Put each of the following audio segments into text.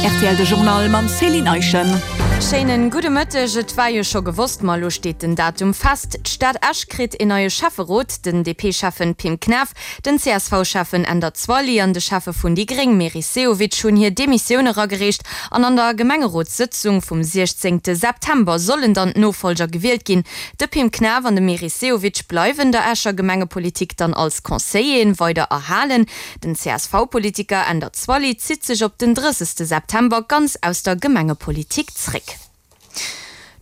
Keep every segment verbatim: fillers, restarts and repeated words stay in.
R T L de Journal mam Céline Eischen. Schéinen gudde Mëtteg. Et war jo scho gewosst, ma elo steet den Datum fest. D'Stad Esch kritt een neie Schäfferot, den D P-Schäffen Pim Knaff, den C S V-Schäffen Änder Zwally an de Schäffe vun déi Gréng Meris Sehovic hunn hir Demissioun eragereecht an an der Gemengerotssëtzung vum siechzéngte September sollen dann d'Nofollger gewielt ginn. De Pim Knaff an de Meris Sehovic bleiwen der Escher Gemengepolitik dann als Conseilleren weider erhalen. Den C S V-Politiker Änder Zwally zitt sech op den drëssegste September ganz aus der Gemengepolitik zréck.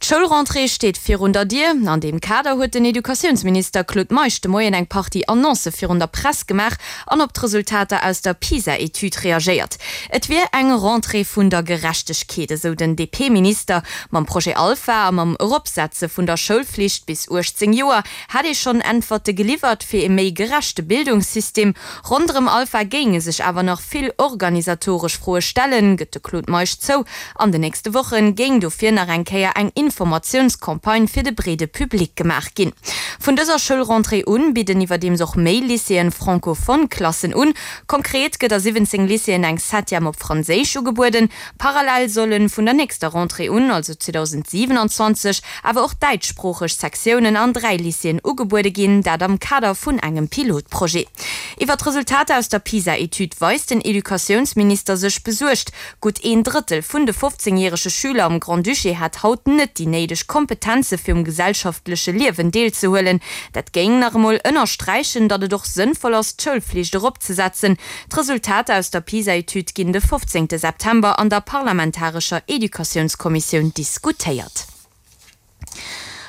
D'Schoulrentrée steet virun der Dier. An deem Kader huet den Educatiounsminister Claude Meisch de Moien eng Partie Annoncë virun der Press gemaach an op d'Resultater aus der PISA-Etüd reagéiert. Et wier eng Rentrée vun der Gerechtegkeet, esou den D P-Minister. Mam Projet Alpha a mam Eropsetze vun der Schoulflicht bis uechtzéng Joer hätt ee schonn Äntwerte geliwwert fir e méi gerechte Bildungssystem. Ronderëm Alpha géinge sech awer nach vill organisatoresch Froe stellen, gëtt de Claude Meisch zou. An den nächste Woche géing dofir nach eng Kéier eng Informatiounscampagne fir de breede Public gemaach ginn. Vun dëser Schoulrentrée un bidden iwwerdeems och méi Lycéeën francophone Klassen un. Konkret gëtt a siwwenzéng Lycéeën eng Septième op Franséisch ugebueden. Parallel sollen vun der nächster Rentrée un, also zweedausendsiwenanzwanzeg, awer och däitschsproocheg Sektiounen an dräi Lycéeën ugebuede ginn, dat am Kader vun engem Pilotprojet. Iwwer d'Resultater aus der PISA-Etüd weist den Educatiounsminister sech besuergt. Gutt een Drëttel vun de fofzéngjärege Schüler am Grand-Duché hätt haut net déi néideg Kompetenze fir um gesellschaftleche Liewen deelzehuelen. Dat géing nach emol ënnersträichen, datt et och sënnvoll ass, d'Schoulflicht eropzesetzen. D'Resultater aus der PISA-Etüd ginn de fofzéngte September an der parlamentarescher Educatiounskommissioun diskutéiert.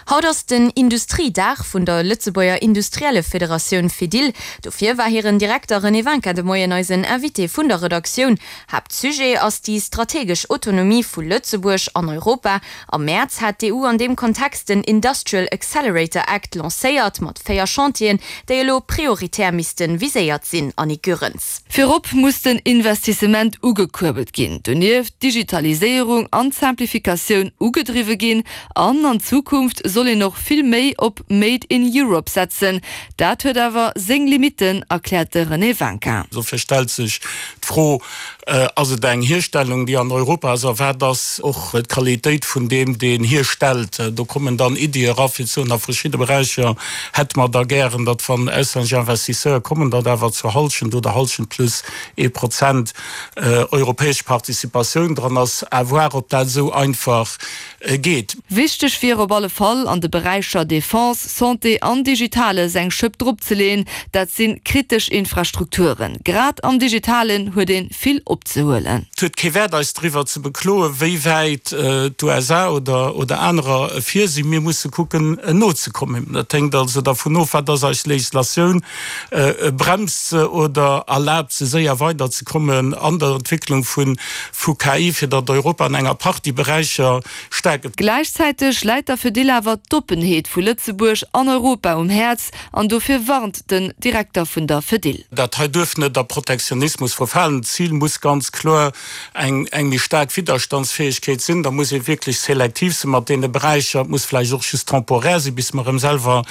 Haut ass den Industriedag vun der Lëtzebuerger Industriellefederatioun Fedil. Dofir war hiren Direkter René Winkin de Moien eisen Invité vun der Redaktioun. Haaptsujet ass déi strategesch Autonomie vu Lëtzebuerg an Europa. Am Mäerz hat d'E U an deem Kontext den Industrial Accelerator Act lancéiert mat véier Chantieren, déi elo prioritär misste viséiert sinn, Annick Goerens. Virop muss den Investissement ugekuerbelt ginn, donieft d'Digitaliséierung an d'Simplificatioun ugedriwwe ginn an an Zukunft soll een och vill méi op Made in Europe setzen. Dat huet awer seng Limitten, erkläert de René Winkin. Dofir stellt sech d'Fro, äh, ass et eng Hierstellung, déi an Europa ass, wat ass och d'Qualitéit vun deem, deen hierstellt. Do kommen dann Iddie era fir ze soen, a verschiddene Beräicher hätte mer da gären, datt wann auslännesch Investisseure kommen, datt awer zur Halschent oder Halschent plus ee Prozent äh, europäesch Participatioun dran ass, à voir, ob dat esou einfach äh, geet. Wichteg wier op alle Fall an de Beräicher Defense, Santé an Digitales eng Schëpp dropzeleeën, dat si kritesch Infrastrukturen. Grad am Digitalen huet ee vill opzehuelen. Et huet kee Wäert eis driwwer ze bekloen, wéi wäit äh, d'U S A oder, oder anerer vir sinn. Mir musse kucken äh, nozekommen. Dat hänkt also dovun of, wat ass eis Legislatioun äh, bremst se oder erlaabt se séier weiderzekommen an der Entwécklung vun vu K I, fir datt Europa an enger Partie Beräicher staark gëtt. Gläichzäiteg läit der Fedil awer d'Oppenheet vu Lëtzebuerg an Europa um Häerz an dofir warnt den Direkter vun der Fedil. Dat hei duerf net a Protektionismus verfalen. D'Zil muss ganz kloer eng eng méi staark Widderstandsfäegkeet sinn. Da muss ee wierklech selektiv sinn mat deene Beräicher, muss vläicht och just temporär sinn, bis mer erëm selwer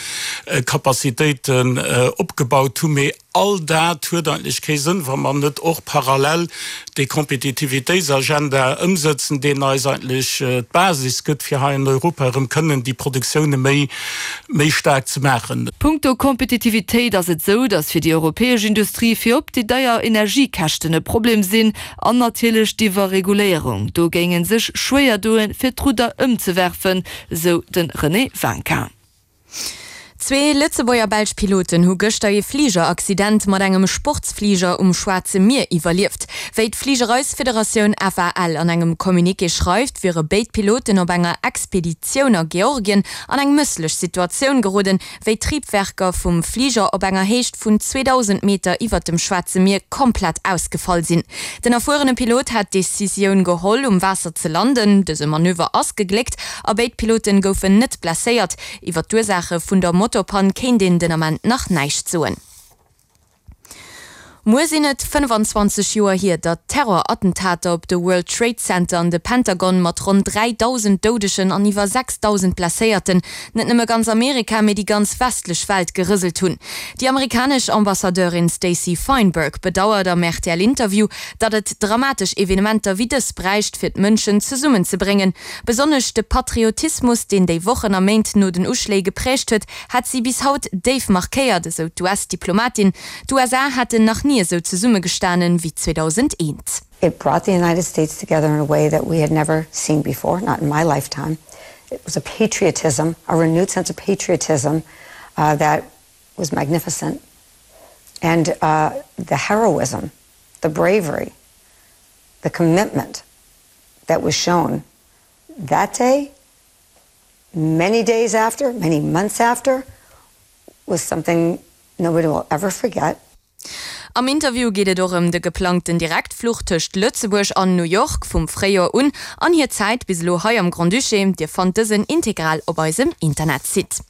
äh, Kapazitéiten äh, opgebaut hunn. Mee all dat huet eigentlech kee Sënn, wa mer net och parallel déi Kompetitivitéitsagenda ëmsetzen, deen eis eigentlech äh, d'Basis gëtt fir hei an Europa erëm kënnen déi Produktioune méi méi staark ze maachen. Punkto Kompetitivitéit ass et sou, datt fir déi europäesch Industrie virop déi deier Energiekäschten e Problem sinn an natierlech d'Iwwerreguléierung. Do géing ee sech schwéier doen, fir d'Rudder ëmzewerfen, sou de René Winkin. Zwee Lëtzebuerger belsch Piloten hu gëschter e Fligeraccident mat engem Sportsfliger um Schwaarze Mier iwwerlieft. Wéi d'Fligereisfederatioun F A L an engem Communiqué schreift, wiere béid Piloten op enger Expeditioun a Georgien an eng mësslech Situatioun geroden, wéi d'Triebwerker vum Fliger op enger Héicht vun zweedausend Meter iwwer dem Schwaarze Mier komplett ausgefall sinn. Den erfuerene Pilot hat d'Decisioun geholl, um Waasser ze landen. Dëse Manöver ass gegléckt a béid Pilote goufen net blesséiert. Iwwer d'Ursaache vun der Motorpann kéint een den Ament nach näischt soen. Muer sinn et fënnfanzwanzeg Joer hier, datt d'Terrorattentater op de World Trade Center an de Pentagon mat ronn dräidausend Doudegen an iwwer sechsdausend Blesséierten net nëmme ganz Amerika, mee déi ganz westlech Welt gerëselt hunn. Déi amerikanesch Ambassadeurin Stacey Feinberg bedauert am R T L-Interview, datt et dramatesch Evenementer wéi dës bräicht, fir d'Mënschen zesummenzebréngen. Besonnesch de Patriotismus, deen déi Wochen a Méint no den Uschléi geprägt huet, hätt si bis haut déif markéiert, esou d'U S-Diplomatin. D'U S A hätten nach ni esou zesummegestanen wéi zweedausendeent. It brought the United States together in a way that we had never seen before, not in my lifetime. It was a patriotism, a renewed sense of patriotism uh, that was magnificent. And uh, the heroism, the bravery, the commitment that was shown that day, many days after, many months after, was something nobody will ever forget. Am Interview geet et och ëm de geplangten Direktfluch tëscht Lëtzebuerg an New York vum Fréijoer un an hir Zäit bis elo hei am Grand-Duché. Dir fannt dësen integral op eisem Internetsite.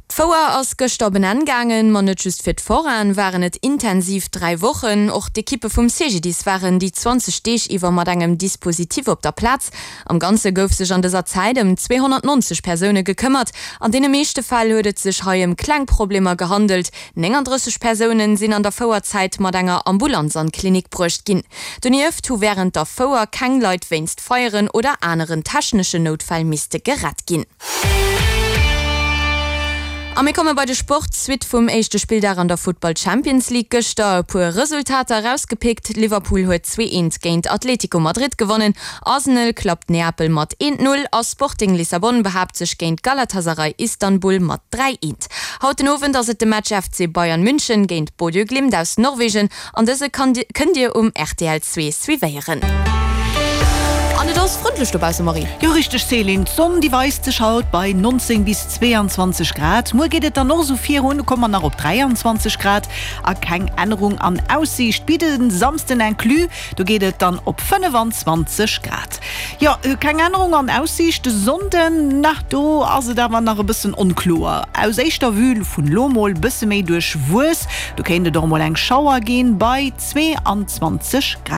D'Fouer ass gëschter op en Enn gaangen, ma net just fir d'Foraine waren et intensiv dräi Wochen. Och d'Ekippe vum C G D I S waren déi zwanzeg Deeg iwwer mat engem Dispositif op der Plaz. Am Ganze gouf sech an dëser Zäit ëm zweehonnertneunzeg Persoune gekëmmert. An deene meeschte Fäll huet et sech hei ëm kleng Problemer gehandelt. Nénganddrësseg Persoune sinn an der Fouerzäit mat enger Ambulanz an d'Klinik bruecht ginn. Donieft hu wärend der Fouer keng Leit wéinst Feieren oder aneren techneschen Noutfäll misste gerett ginn. A mir komme bei de Sport. Suite vum éischte Spilldag an der Futtball Champions League gëschter. E puer Resultater erausgepickt, Liverpool huet zwee eent géint Atlético Madrid gewonnen, Arsenal klappt Neapel mat eent null a Sporting Lissabon behaapt sech géint Galatasaray Istanbul mat dräi eent. Haut den Owend ass et de Match F C Bayern München géint Bodø Glimt aus Norwegen an dëse kënnt Dir um R T L zwee suivéieren. An et ass frëndlech dobausse, Marie. Jo richteg Céline, d'Sonn déi weist sech haut bei neunzéng bis zweeanzwanzeg Grad. Muer geet et dann och esou virun, do komme mer nach op dräianzwanzeg Grad a keng Ännerung an Aussiicht bis de Samsden inclus, do geet et dann op fënnefanzwanzeg Grad. Jo keng Ännerung an Aussiicht de Sonnden, na do ass et awer nach e bëssen onkloer. Aus éischter Vue vun lo mol bësse méi duerchwuess, do kéint et och mol eng Schauer ginn bei zweeanzwanzeg Grad.